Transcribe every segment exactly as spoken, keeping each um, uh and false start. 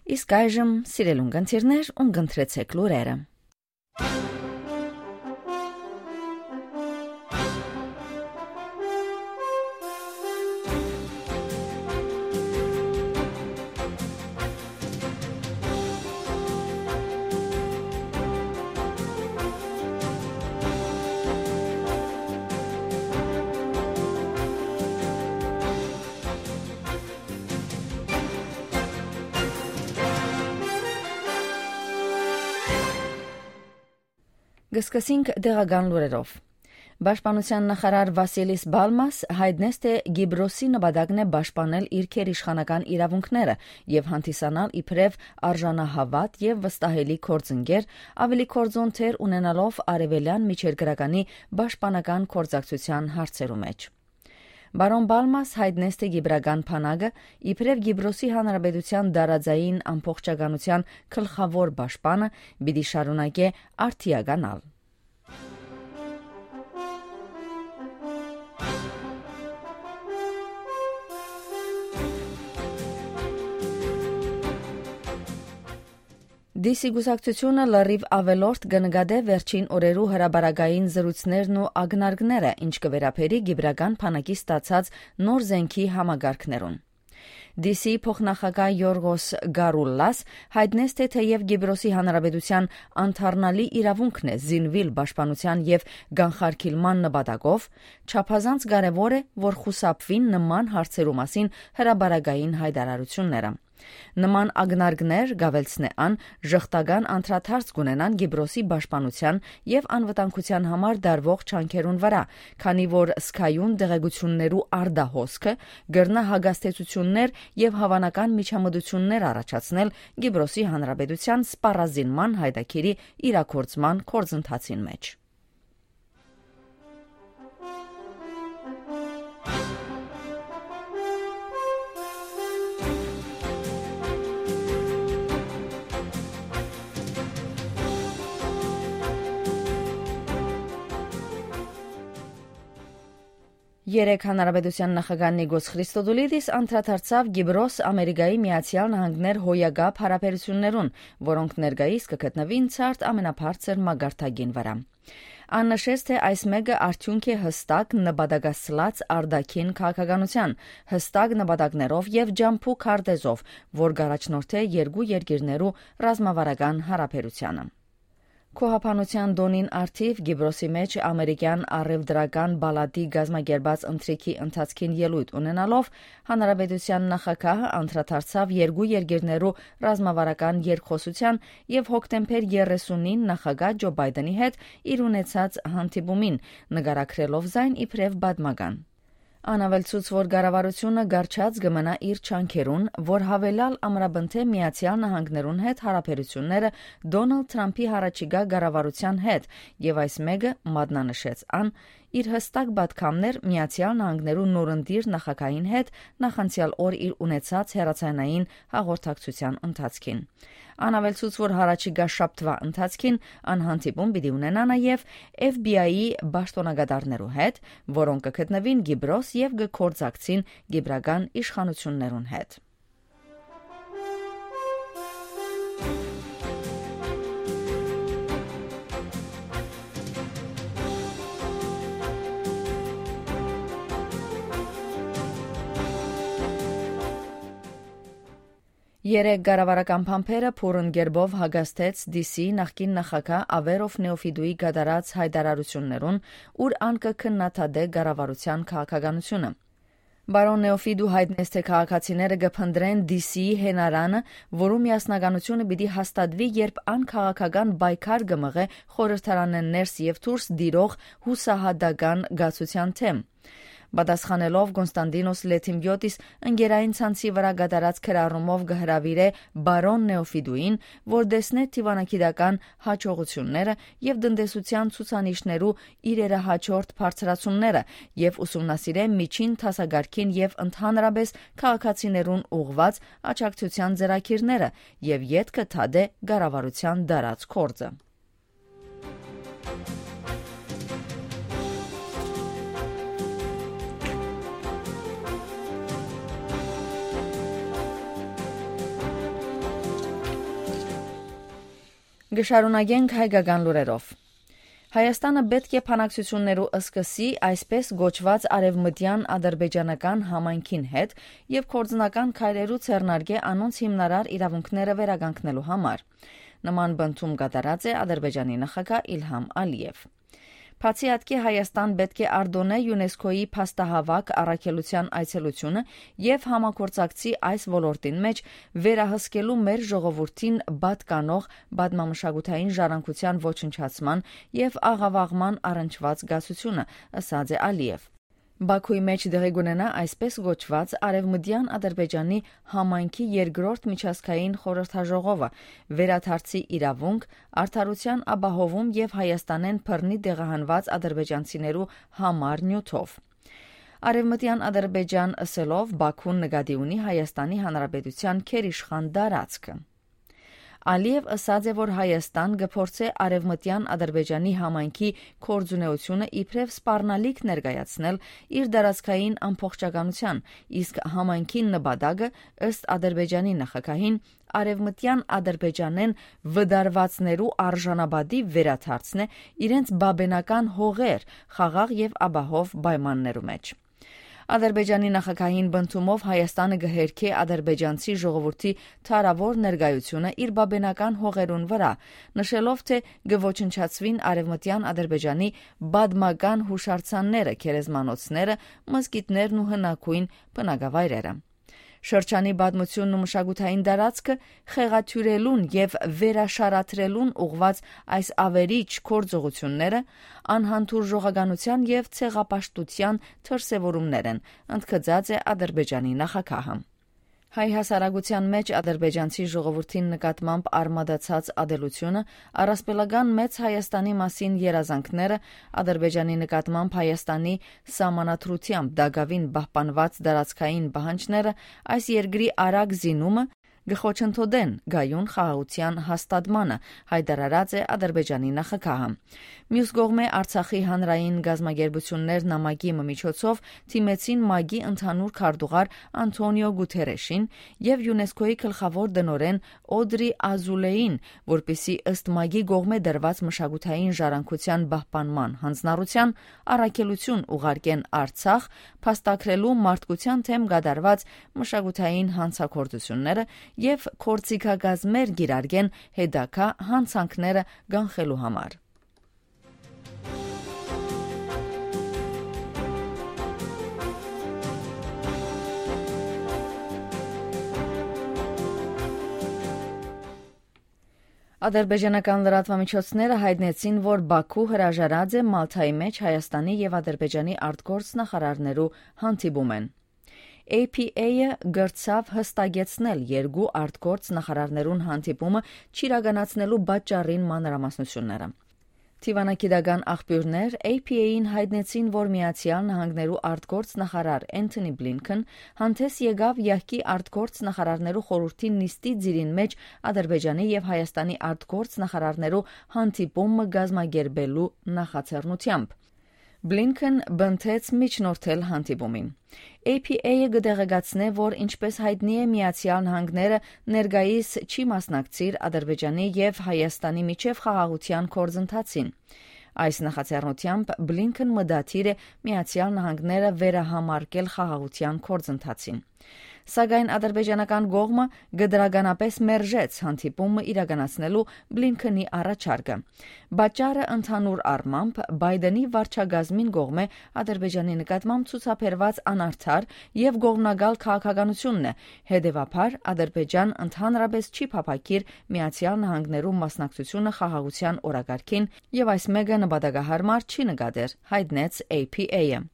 Իսկ այժմ, սիրելուն կընթիրներ, ուն կընտրեցեք լուրերը։ Կը սկսենք տեղական լուրերով։ Պաշտպանութեան նախարար Վասիլիս Պալմաս յայտնեց, թէ Կիպրոսի նպատակն է պաշտպանել իր գերիշխանական իրաւունքները եւ հանդիսանալ իբրեւ արժանահաւատ եւ վստահելի գործընկեր, աւելի գործուն դեր ունենալով արեւելեան միջերկրականի պաշտպանական գործակցութեան հարցերու մէջ։ Պարոն Պալմաս յայտնեց, թէ կիպրական բանակը, իբրեւ Կիպրոսի Հանրապետութեան տարածային ամբողջականութեան գլխաւոր պաշտպանը, պիտի շարունակէ արդիականալ։ Դիսի կուսակցութիւնը լրիվ աւելորդ կը նկատէ վերջին օրերու հրապարակային զրույցներն ու ակնարկները, ինչ կը վերաբերի Կիպրական բանակի ստացած նոր զէնքի համակարգներուն։ Դիսի փոխնախագահ Յորղոս Գարուլլաս յայտնեց, թէ թէեւ Կիպրոսի Հանրապետութեան անդառնալի իրաւունքն է զինուիլ պաշտպանութեան եւ կանխարգիլման նպատակով, չափազանց կարեւոր է, որ խուսափուին նման հարցերու մասին հրապարակային յայտարարութիւնները։ Նման ակնարկներ, կ'աւելցնէ ան, ժխտական անդրադարձ կ'ունենան Կիպրոսի պաշտպանութեան եւ անվտանգութեան համար տարուող ջանքերուն վրայ, քանի որ զգայուն տեղեկութիւններու արտահոսքը կրնայ հակազդեցութիւններ եւ հաւանական միջամտութիւններ առաջացնել Կիպրոսի Հանրապետութեան սպառազինման յայտագիրի իրագործման գործընթացին մէջ։ Երեկ Հանրապետութեան նախագահ Նիկոս Խրիստոդուլիդիս անդրադարձաւ Կիպրոս Ամերիկայի Միացեալ Նահանգներ հոյակապ յարաբերութիւններուն, որոնք ներկայիս կը գտնուին ցարդ ամենաբարձր մակարդակին վրայ։ Ան նշեց, թէ այս մէկը արդիւնք է յստակ նպատակասլաց արտաքին քաղաքականութեան, յստակ նպատակներով եւ ճամբու քարտէզով, որ կ'առաջնորդէ երկու երկիրներու ռազմավարական յարաբերութեանը։ Գոհաբանութեան տօնին առթիւ Կիպրոսի մէջ ամերիկեան առեւտրական պալատի կազմակերպած ընթրիքի ընթացքին ելոյթ ունենալով, հանրապետութեան նախագահը անդրադարձաւ երկու երկիրներու ռազմավարական երկխօսութեան եւ հոկտեմբեր երեսունին նախագահ Ջո Պայտենի հետ իր ունեցած հանդիպումին, նկարագրելով զայն իբրեւ պատմական։ Ան աւելցուց, որ կառավարութիւնը կառչած կը մնայ իր ջանքերուն, որ յաւելալ ամրապնդէ Միացեալ Նահանգներուն հետ յարաբերութիւնները Դոնալդ Թրամփի յառաջիկայ կառավարութեան հետ, եւ այս մէկը, մատնանշեց ան, իր յստակ պատգամն էր Միացեալ Նահանգներու նորընտիր նախագահին հետ նախանցեալ օր իր ունեցած հեռաձայնային հաղորդակցութեան ընթացքին։ Ան աւելցուց, որ յառաջիկայ շաբթուայ ընթացքին ան հանդիպում պիտի ունենայ նաեւ F B I-ի պաշտօնակատարներու հետ, որոնք կը գտնուին Կիպրոս եւ կը գործակցին կիպրական իշխանութիւններուն հետ։ Երեկ կառավարական փամփերը բուռն կերպով հակազդեց D C նախկին նախագահ Ավերով Նեոֆիտուի կատարած յայտարարութիւններուն, ուր ան կը քննադատէ կառավարութեան քաղաքականութիւնը։ Պարոն Նեոֆիտու յայտնեց, թէ քաղաքացիները կը փնտռեն D C-ի յենարանը, որու միասնականութիւնը պիտի հաստատուի, երբ ան քաղաքական պայքար կը մղէ խորհրդարանէն ներս եւ դուրս տիրող յուսահատական կացութեան դէմ։ Պատասխանելով Կոնստանտինոս Լեթիմպիոտիս ընկերային ցանցի վրայ կատարած գրառումով կը հրաւիրէ պարոն Նեոֆիտուին, որ տեսնէ դիւանագիտական յաջողութիւնները եւ տնտեսութեան ցուցանիշներու իրերը հաջորդ բարձրացումները եւ ուսումնասիրէ միջին դասակարգին եւ ընդհանրապէս քաղաքացիներուն ուղղուած աջակցութեան ծրագիրները եւ ետքը դատէ կառավարութեան տարած գործը։ Կը շարունակենք հայկական լուրերով։ Հայաստանը պէտք է բանակցութիւններու սկսի այսպես կոչուած արեւմտեան ադրբեջանական համայնքին հետ եւ գործնական քայլերու ձեռնարկէ անոնց հիմնարար իրաւունքները վերականգնելու համար։ Նման պնդում կատարած է Ադրբեջանի նախագահ Իլհամ Ալիեւ։ Բացի ատկէ, Հայաստան պէտք է արտոնէ ЮՆԵՍԿՕ-ի փաստահաւաք առաքելութեան այցելութիւնը եւ համագործակցի այս ոլորտին մէջ վերահսկելու մեր ժողովուրդին պատկանող պատմամշակութային ժառանգութեան ոչնչացման եւ աղաւաղման առնչուած կացութիւնը, ըսած է Ալիեւ։ Բաքուի մէջ տեղի կունենայ այսպես կոչուած Արեւմտեան Ադրբեջանի համայնքի երկրորդ միջազգային խորհրդաժողովը, վերադարձի իրաւունք, արդարութեան ապահովում եւ Հայաստանէն բռնի տեղահանուած ադրբեջանցիներու համար նիւթով։ Արեւմտեան Ադրբեջան ըսելով Բաքուն նկատի ունի Հայաստանի Հանրապետութեան գերիշխան տարածքը։ Ալիեւ ըսած է, որ Հայաստան կը փորձէ Արեւմտեան Ադրբեջանի համայնքի գործունեութիւնը իբրեւ սպառնալիք ներկայացնել իր տարածքային ամբողջականութեան, իսկ համայնքին նպատակը, ըստ Ադրբեջանի նախագահին, Արեւմտեան Ադրբեջանէն վտարուածներու արժանապատի վերադարձն է, իրենց բաբենական հողեր, խաղաղ եւ ապահով պայմաններու մէջ։ Ադրբեջանի նախագահին պնդումով Հայաստանը կը հերքէ ադրբեջանցի ժողովուրդի դարաւոր ներկայութիւնը իր բաբենական հողերուն վրայ, նշելով, թէ կը ոչնչացուին Արեւմտեան Ադրբեջանի պատմական յուշարձանները, գերեզմանոցները, մզկիթներն ու հնագոյն բնակավայրերը։ Շրջանի պատմութիւնն ու մշակութային տարածքը խեղաթիւրելուն եւ վերաշարադրելուն ուղղուած այս ավերիչ գործողութիւնները անհանդուրժողականութեան եւ ցեղապաշտութեան դրսեւորումներ են, ընդգծած է Ադրբեջանի նախագահը։ Հայ հասարակութեան մէջ ադրբեջանցի ժողովուրդին նկատմամբ արմատացած ատելութիւնը, առասպելական մեծ Հայաստանի մասին երազանքները, Ադրբեջանի նկատմամբ Հայաստանի սահմանադրութեամբ տակաւին պահպանուած տարածքային պահանջները, այս երկրի արագ զինումը կը խոչընդոտեն կայուն խաղաղութեան հաստատմանը, յայտարարած է Ադրբեջանի նախագահը։ Մյուս կողմէ, Արցախի հանրային կազմակերպութիւններ նամակի մը միջոցով դիմեցին ՄԱԿ-ի ընդհանուր քարտուղար Անթոնիո Գութերեշին եւ ЮՆԵՍԿՕ-ի գլխաւոր տնօրէն Օդրի Ազուլեին, որպեսզի ըստ ՄԱԿ-ի կողմէ տրուած մշակութային ժառանգութեան պահպանման հանձնառութեան առաքելութիւն ուղարկեն Արցախ, փաստագրելու մարդկութեան դէմ կատարուած մշակութային հանցագործութիւնները եւ գործիքակազմեր կիրարկեն հետագայ յանցանքները կանխելու համար։ Ադրբեջանական լրատուամիջոցները յայտնեցին, որ Բաքու հրաժարած է Մալթայի մէջ Հայաստանի եւ Ադրբեջանի արտգործնախարարներու հանդիպումէն։ A P A-ը կրցաւ յստակեցնել երկու արտգործնախարարներուն հանդիպումը չիրականացնելու պատճառին մանրամասնութիւնները։ Դիվանագիտական աղբիւրներ A P A-ին յայտնեցին, որ Միացեալ Նահանգներու արտգործնախարար Էնթոնի Բլինքեն հանդէս եկաւ յահկի արտգործնախարարներու խորհուրդի նիստի ծիրին մէջ Ադրբեջանի եւ Հայաստանի արտգործնախարարներու հանդիպում մը կազմակերպելու նախաձեռնութեամբ։ Բլինքեն պնդեց միջնորդել հանդիպումին։ A P A-ը կը տեղեկացնէ, որ ինչպես յայտնի է, Միացեալ Նահանգները ներկայիս չի մասնակցիր Ադրբեջանի եւ Հայաստանի միջեւ խաղաղութեան գործընթացին։ Այս նախաձեռնութեամբ Բլինքեն մտադիր է Միացեալ Նահանգները վերահամարկել խաղաղութեան գործընթացին։ Սակայն ադրբեջանական կողմը կտրականապես մերժեց հանդիպումը իրականացնելու Բլինքենի առաջարկը։ Պատճառը ընդհանուր առմամբ Բայդենի վարչակազմին կողմէ Ադրբեջանի նկատմամբ ցուցաբերուած անարդար եւ կողմնակալ քաղաքականութիւնն է, հետեւաբար Ադրբեջան ընդհանրապես չի փափաքիր Միացեալ Նահանգներու մասնակցութիւնը խաղաղութեան օրակարգին եւ այս մէկը նպատակահարմար չի նկատեր, յայտնեց A P A-ը։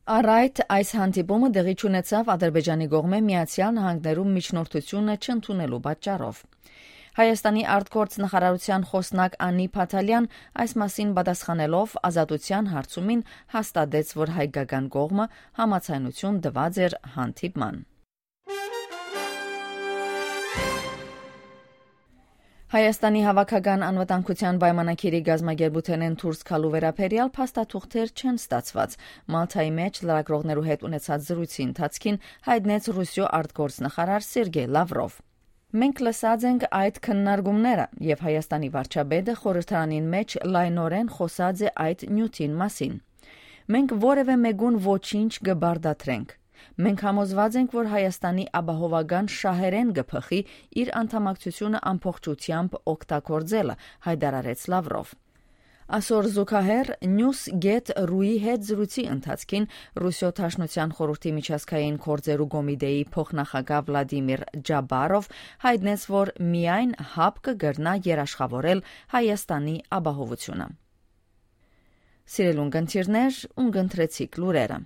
Առայդ այս հանդիպումը տեղի չունեցաւ Ադրբեջանի կողմէ Միացեալ Նահանգներու միջնորդութիւնը չընդունելու պատճառով։ Հայաստանի արտգործնախարարութեան խօսնակ Անի Փաթալեան այս մասին պատասխանելով Ազատութեան հարցումին հաստատեց, որ հայկական կողմը համաձայնութիւն տուած էր հանդիպման։ Հայաստանի հաւաքական անվտանգութեան պայմանագիրի կազմակերպութենէն դուրս գալու վերաբերեալ փաստաթուղթեր չեն ստացուած, Մալթայի մէջ լրագրողներու հետ ունեցած զրույցի ընթացքին յայտնեց Ռուսիոյ արտգործնախարար Սերգեյ Լավրով։ Մենք լսած ենք այդ քննարկումները, եւ Հայաստանի վարչապետը խորհրդարանին մէջ լայնօրէն խօսած է այդ նիւթին մասին։ Մենք որեւէ մէկուն ոչինչ կը պարտադրենք։ Մենք համոզված ենք, որ Հայաստանի ապահովական շահերէն կը բխի իր անդամակցութիւնը ամբողջութեամբ օգտագործելը, հայտարարեց Լավրով։ Ասոր զուգահեռ Նիուս Գեթ Ռուի հետ զրույցի ընթացքին Ռուսիոյ Դաշնութեան խորհրդի միջազգային գործերու կոմիտեի փոխնախագահ Վլադիմիր Ջաբարով հայտնեց, որ միայն հապ կը կրնայ երաշխաւորել Հայաստանի ապահովութիւնը։ Սիրելուն կընթիրներ, ուն կընտրեցիք լուրերը։